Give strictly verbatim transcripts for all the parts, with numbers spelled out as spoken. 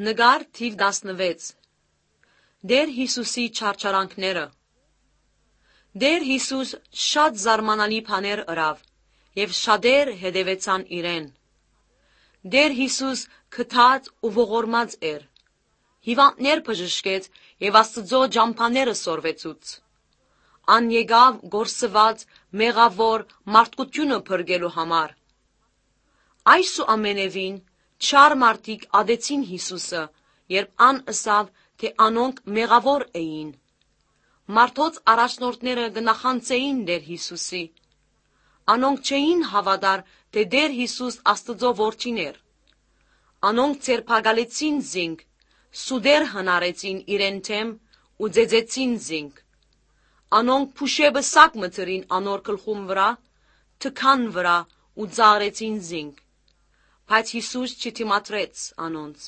Նկար թիվ տասնվեց Դեր Հիսուսի չարչարանքները Դեր Հիսուս շատ զարմանալի բաներ ըրավ, և շատեր հետևեցան իրեն։ Դեր Հիսուս քթած ու ողորմած էր, հիվանդներ բժշկեց և Աստծո ճամփաները սորվեցուց։ Ան եկավ գործված մեղավոր մարդկությունը փրկելու համար։ Այս ու ամենևին չար մարդիկ ադեցին Հիսուսը, երբ ան ըսավ, թե անոնք մեղավոր էին։ Մարդոց առաջնորդները գնախանձեին Դեր Հիսուսի։ Անոնք չէին հավատար, թե Դեր Հիսուս Աստծո որդին էր։ Անոնք ձերբակալեցին զինք, սուդեր հնարեցին իրեն թեմ ու ծեծեցին զինք։ Անոնք փուշեբը սակ մթրին անոր գլխում վրա, թքան վրա ու ծաղրեցին զինք։ Բայց Հիսուս չդիմադրեց անոնց։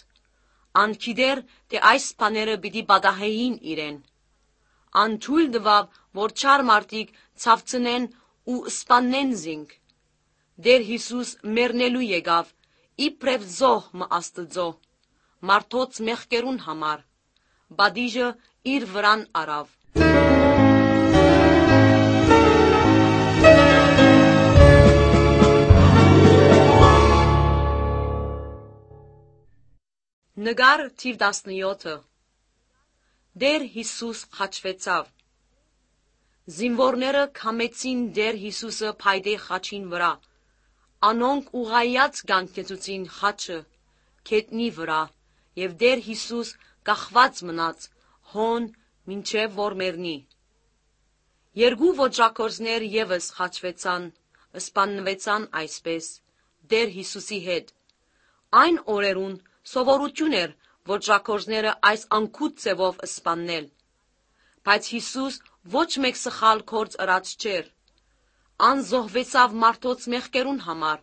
Ան գիտեր, թե այս բաները պիտի պատահեին իրեն։ Ան թույլ տվավ, որ չար մարդիկ ցավցնեն ու սպաննեն զինք։ Դեր Հիսուս մեռնելու եկավ, իբրև զոհ մը Աստծո, մարդոց մեղքերուն համար, պատիժը իր վրան առավ։ Նկար թիվ տասնյոթը Դեր Հիսուս խաչվեցավ։ Զինվորները քամեցին Դեր Հիսուսը փայտե խաչին վրա, անոնք ուղղայած կանգնեցուցին խաչը գետնի վրա, և Դեր Հիսուս կախված մնաց հոն մինչև որ մեռնի։ Երկու ոճրագործներ ևս խաչվեցան, սպանվեցան այսպես Դեր Հիսուսի հետ։ Այն օրերուն սովորություն էր ոճրագործները այս անգութ ձևով սպաննել։ Բայց Հիսուս ոչ մեկ սխալ գործ ըրած չէր։ Ան զոհվեցավ մարդոց մեղքերուն համար։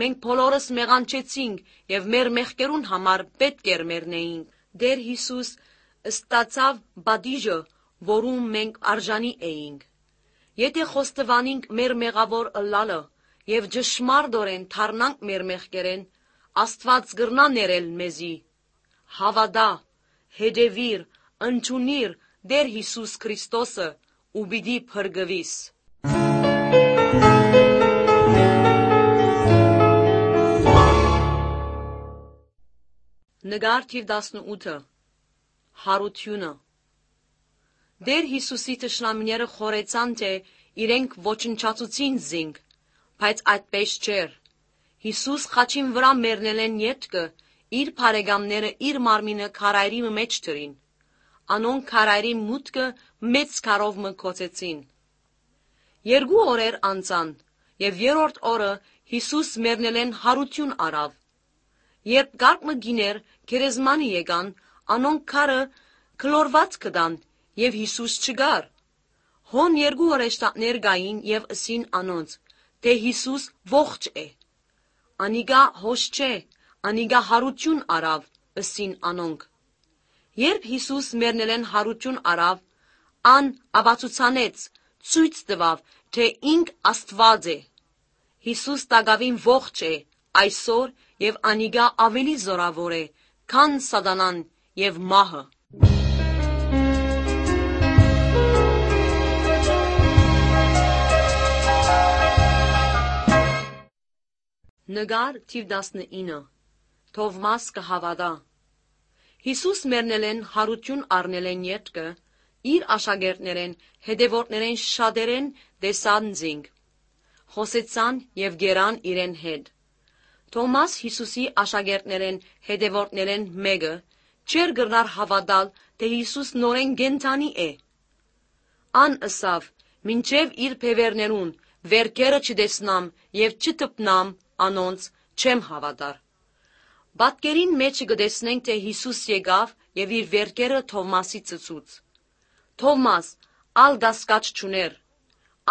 Մենք բոլորս մեղանչեցինք և մեր մեղքերուն համար պետք էր մեռնեինք։ Դեր Հիսուս ստացավ պատիժը, որում մենք արժանի էինք։ Եթե խոստովանենք մեր մեղավոր ըլլալը և ճշմարտորեն դառնանք մեր մեղքերեն, Աստված կրնա ներել մեզի։ Հավատա, հետևիր, ընդունիր Դեր Հիսուս Քրիստոսը ու պիտի փրկվիս։ Նկար թիվ տասնութը Հարությունը Դեր Հիսուսի թշնամիները խորեցան, թե իրենք ոչնչացուցին զինք, բայց այդպես չէր։ Հիսուս խաչին վրա մեռնելեն ետքը իր բարեկամները իր մարմինը քարայրի մեջ դրին։ Անոնք քարայրի մուտքը մեծ քարով մը գոցեցին։ Երկու օրեր անցան, և երրորդ օրը Հիսուս մեռնելեն հարություն առավ։ Երբ կարգ գիներ գերեզմանի եկան, անոնք քարը քլորված գտան, և Հիսուս չկար։ Հոն երկու հրեշտակներ կային և ըսին անոնց, թե Հիսուս ողջ է։ Անիկա հոս չէ, անիկա հարություն առավ, ըսին անոնք։ Երբ Հիսուս մեռնելեն հարություն առավ, ան ապացուցանեց, ցույց տվավ, թե ինք Աստված է։ Հիսուս տակավին ողջ է այսօր և անիկա ավելի զորավոր է, քան սատանան և մահը։ Նկար թիվ տասնինը Թովմաս կհավատա Հիսուս մեռնելեն հարություն առնելեն ետքը իր աշակերտներեն հետևորդներեն շատերեն տեսան զինք, խոսեցան և գերան իրեն հետ։ Թոմաս Հիսուսի աշակերտներեն հետևորդներեն մեկը չէր կրնար հավատալ, թե Հիսուս նորեն կենդանի է։ Ան ըսավ, մինչև իր բևերներուն վերքերը չտեսնամ և չտպնամ անոնց չեմ հավատար։ Պատկերին մեջ կտեսնենք, թե Հիսուս եկավ և իր վերքերը Թովմասի ծծուց։ Թովմաս ալ կասկած չուներ։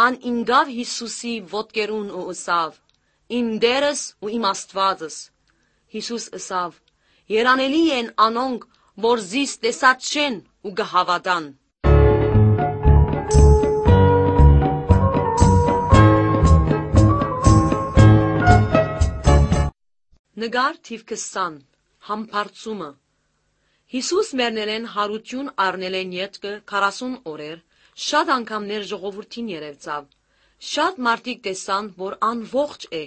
Ան ինգավ Հիսուսի ոտքերուն ու ըսավ. «Իմ Տերս ու իմ Աստվածս»։ Հիսուս ըսավ. «Երանելի են անոնք, որ զիս տեսած չեն ու կհավատան»։ Նկար թիվ քսան Համբարձումը Հիսուս մերներեն հարություն առնել են ետքը քառասուն օրեր, շատ անգամներ ժողովրդին երևցավ, շատ մարդիկ տեսան, որ ան ողջ է։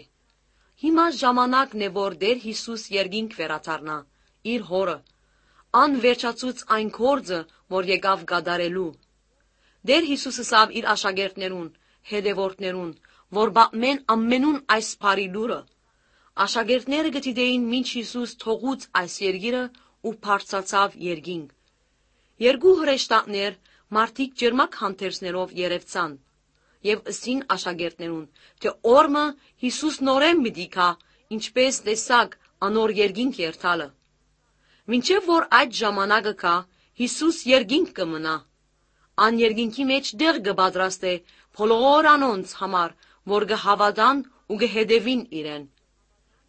Հիմա ժամանակն է, որ Տեր Հիսուս երկինք վերադառնա, իր հորը, ան վերջացուց այն գործը, որ եկավ կատարելու։ Տեր Հիսուսը ասավ իր աշակերտներուն, հետևորդներուն, որ բամեն ամենուն այս բարի լուրը։ Աշակերտները գտիդեին մինչ Հիսուս թողուց այս երկիրը ու բարձրացավ երկինք։ Երկու հրեշտակներ մարդիկ ջերմակ հանդերձներով երևցան եւ ըսին աշակերտներուն, թե օրը Հիսուս նորեն մի դիքա, ինչպես տեսակ անոր երկինք երթալը։ Մինչև որ այդ ժամանակը կա, Հիսուս երկինք կմնա։ Ան երկինքի մեջ դեղ կպատրաստե բոլոր անոնց համար, որ կհավատան ու կհետևին իրեն։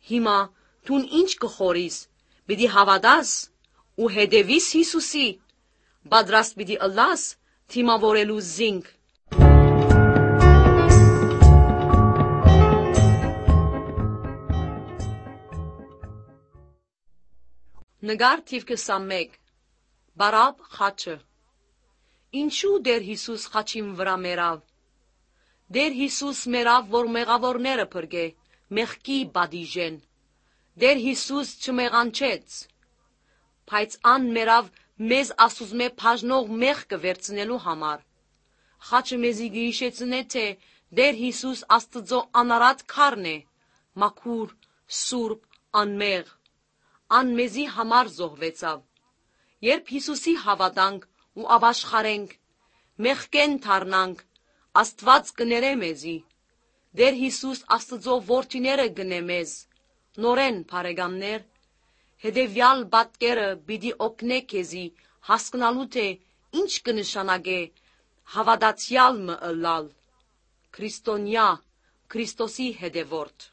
Հիմա դուն ինչ կխորիս, պիտի հավատաս ու հետևիս Հիսուսի, պատրաստ պիտի ըլլաս թիմավորելու զինք։ Նկար թիվ քսանմեկ Բարաբ խաչը։ Ինչու Տեր Հիսուս խաչին վրա մեռավ։ Տեր Հիսուս մեռավ, որ մեղավորները փրկե, մեղքի պատիժեն։ Տեր Հիսուս չմեղանչեց, բայց ան մեռավ մեզ Աստուծմե բաժնող մեղքը վերցնելու համար։ Խաչը մեզի գիշեցնե, թե Տեր Հիսուս Աստծո անարատ քարն է, մաքուր, սուրբ, անմեղ։ Ան մեզի համար զոհվեցավ։ Երբ Հիսուսի հավատանք ու ապաշխարենք, մեղքեն դառնանք, Աստված կներե մեզի։ Տեր Հիսուս Աստծո որդիները գնե մեզ։ Նորեն բարեկամներ, հետևյալ պատկերը պիտի օգնե քեզի հասկանալու, թե ինչ կնշանակե հավատացյալ մը ըլլալ, քրիստոնյա, Քրիստոսի հետևորդ։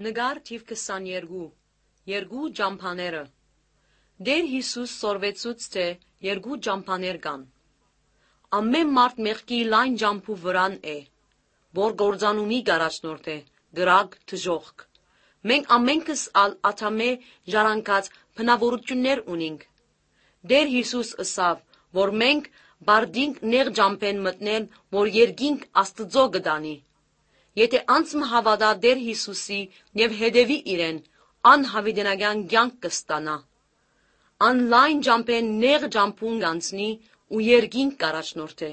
Նկար թիվ քսաներկու Երկու ջամփաները։ Տեր Հիսուս սորվեցուց, թե երկու ջամփաներ կան։ Ամեն մարդ մեղքի լայն ջամփու վրան է, որ գործանումի գարաշնորդ է, գրակ դժողք։ Մենք ամենքս ալ աթամե ժառանգած բնավորություններ ունենք։ Տեր Հիսուս ըսավ, որ մենք բարդինք նեղ ջամփեն մտնել, որ երկինք Աստծո գտանի։ Եթե անցմ հավատա Տեր Հիսուսի եւ հետևի իրեն, անհավիտենական կյանք կստանա։ Ան լայն ջամփեն նեղ ջամփուն կանցնի ու երկինք կառաջնորդե։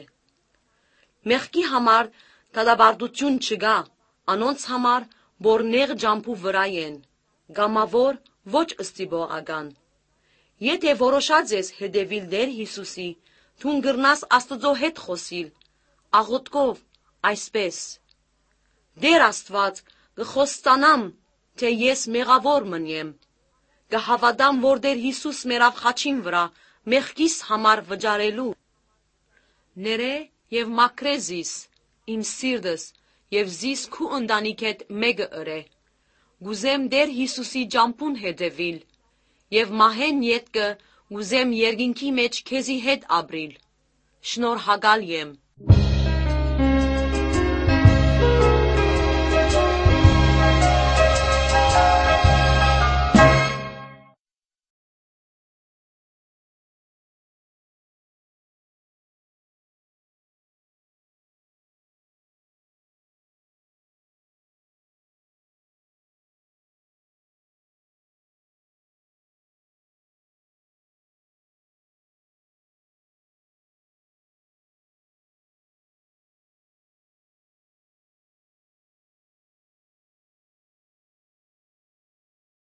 Մեղքի համար դատապարտություն չկա, անոնց համար, որ նեղ ջամփու վրա են, գամավոր ոչ ըստիպողական։ Եթե որոշած ես հետևիլ Տեր Հիսուսի, դու կգրնաս Աստծո հետ խոսիլ, աղոթքով, այսպես. Տեր Աստված, կխոստանամ, թե ես մեղավոր մնեմ, կհավատամ, որ Տեր Հիսուս մեռավ խաչին վրա, մեղքիս համար վճարելու։ Ներե եւ մաքրե զիս, իմ սիրտս, եւ զիս քու ընտանիքեդ մեկը ըրե։ Գուզեմ Տեր Հիսուսի ջամփուն հետևիլ, եւ մահեն ետքը գուզեմ երկինքի մեջ քեզի հետ ապրիլ։ Շնորհակալ եմ։